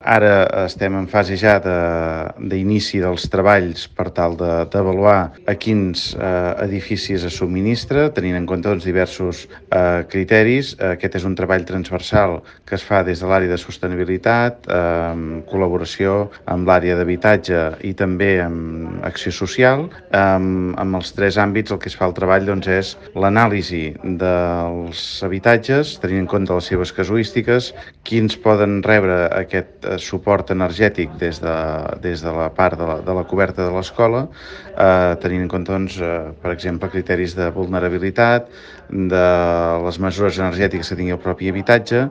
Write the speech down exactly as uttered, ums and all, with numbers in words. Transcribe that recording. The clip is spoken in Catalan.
Ara estem en fase ja de- d'inici dels treballs per tal de- d'avaluar a quins eh, edificis es subministra, tenint en compte doncs, diversos eh, criteris. Aquest és un treball transversal que es fa des de l'àrea de sostenibilitat, eh, en col·laboració amb l'àrea d'habitatge i també amb acció social. Eh, amb els tres àmbits el que es fa el treball doncs, és l'anàlisi dels habitatges, tenint en compte les seves casuístiques, quins poden rebre aquest eh, suport energètic des de, des de la part de la, de la coberta de l'escola, eh, tenint en compte, doncs, eh, per exemple, criteris de vulnerabilitat, de les mesures energètiques que tingui el propi habitatge.